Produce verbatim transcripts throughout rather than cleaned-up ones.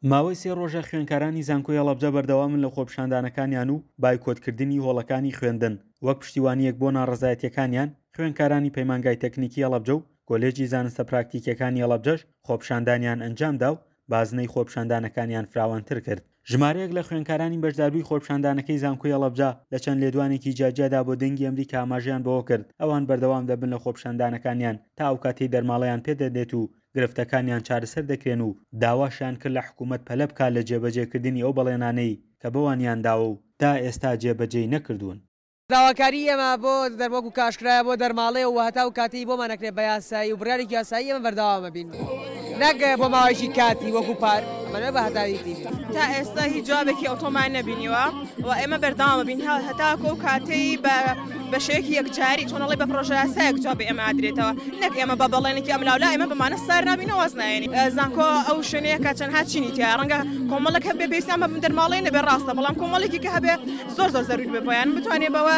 ماوەی سێ ڕۆژە خوێندکارانی زانکۆی هەڵەبجە بەردەوامن لە خۆپیشاندانەکانیان و بایکۆتکردنی هۆڵەکانی خوێندن وەک پشتیوانییەک بۆ ناڕەزایەتییەکانیان. خوێندکارانی پەیمانگای تەکنیکی هەڵەبجە و کۆلێجی زانستە پراکتیکیەکانی هەڵەبجەش خۆپیشاندانیان ئەنجامدا و بازنەی خۆپیشاندانەکانیان فراوانتر کرد. ژمارەیەک لە خوێندکارانی بەشداربووی خۆپیشاندانەکەی زانکۆی هەڵەبجە لە چەند لێدوانێکی جیاجیادا بۆ دەنگی ئەمریکا ئاماژەیان بەوە کرد ئەوان بەردەوام دەبن لە خۆپیشاندانەکانیان تا ئەو کاتەی دەرماڵەیان پێدەدرێت و گرفتەکانیان چارەسەر دەکرێن و داواشیان کرد لە حکوومەت پەلە بکات لە جێبەجێکردنی ئەو بەڵێنانەی کە بەوانیان داوە و تا ئێستا جێبەجێی نەکردوون. داواکاری ئێمە بۆ وەکو کە ئاشکرایە بۆ دەرماڵەیە و هەتا و کاتەی بۆمان نەکرێت بە یاسایی و بڕیارێکی یاسایی ئێمە بەردەوامە بین، نەک بۆ ماوەیەکی کاتی وەکو پار، ئەمە بە هەتاوی تیبی. تا ئێستا هیچ جوابێکی ئەوتۆمان نەبینیوە و ئێمە بەردەوامە بین هەتاکو ئەو کاتەی بە شێوەیەکی یەکجاری چۆن ئەڵێ بە پرۆژە یاسایەک جواب ئێمە ئادرێتەوە، نەک ئێمە بە بەڵێنێکی ئەملاولا ئێمە بەمانە سار نابینەوە واز نایەنین. زانکۆ ئەو شوێنەیە کە چەندها چینی تیا ڕەنگە کۆمەڵێک هەبێ پێویستیان بە دەرماڵەی نەبێ ڕاستە، بەڵام کۆمەڵێکی کە هەبێ زۆر زۆر زەروور بێ بۆیان بتوانێت بەوە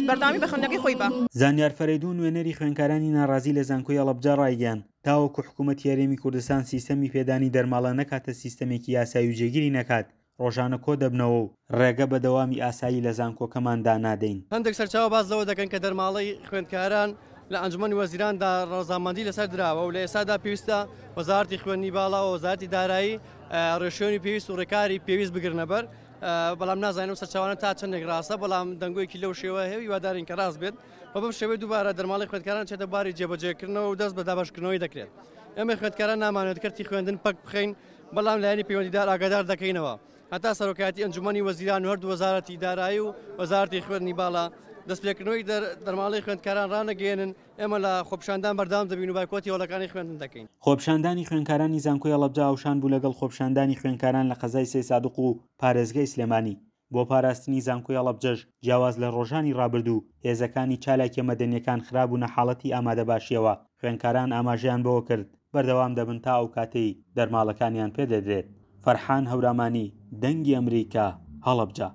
بەردەوامی بە خوێندنەکەی خۆی بە. زانیار فەرەیدون نوێنەری خوێندکارانی ناڕازی لە زانکۆی هەڵەبجە ڕایگەیاند تاوەکو حکوومەتی هەرێمی کوردستان سیستەمی پێدانی دەرماڵە نەکاتە سیستەمێکی یاسایی و جێگیری نەکات، ڕۆژانە کۆ دەبنەوە و ڕێگە بە دەوامی ئاسایی لە زانکۆکەماندا نادەین. هەندێک سەرچاوە باس لەوە دەکەن کە دەرماڵەی خوێندکاران لە ئەنجومەنی وەزیراندا ڕەزامەندی لەسەر دراوە و لە ئێستادا پێویستە وەزارەتی خوێندنی باڵا و وەزارەتی دارایی ڕێشوێنی پێویست و ڕێکاری پێویست بگرنە بەر، بەڵام نازانین ئەو سەرچاوانە تا چەندێک ڕاستە، بەڵام دەنگۆیەکی لەو شێوە هەیە و هیوادارین کە ڕاست بێت و بەم شێوەی دووبارە دەرماڵەی خوێندکاران چێتە باری جێبەجێکردنەوە و دەست بە دابەشکردنەوەی دەکرێت. ئێمە خوێندکاران نامانێت کەرتی خوێندن پەک بخەین، بەڵام لایەنی پەیوەندیدار ئاگادار دەکەینەوە هەتا سەرۆکایەتی ئەنجومەنی وەزیران و هەردوو وەزارەتی دارایی و وەزارەتی خوێندنی باڵا دەستپێکردنەوەی دەرماڵەی خوێندکاران ڕانەگەیەنن. ئێمە لە خۆپیشاندان بەردەوام دەبین و بایکۆتی هۆڵەکانی خوێندن دەکەین. خۆپیشاندانی خوێندکارانی زانکۆی هەڵەبجە هاوشان بوو لەگەڵ خۆپیشاندانی خوێندکاران لە قەزای سەیدسادق و پارێزگای سلێمانی. بۆ پاراستنی زانکۆی هەڵەبجەش جیاواز لە ڕۆژانی ڕابردوو هێزەکانی چالاکیە مەدەنیەکان خرابوونە حاڵەتی ئامادەباشیەوە. خوێندکاران ئاماژەیان بەوە کرد بەردەوام دەبن تا ئەو کاتەی دەرماڵەکانیان پێدەدرێت. فەرحان هەورامانی، دەنگی ئەمریکا، هەڵەبجە.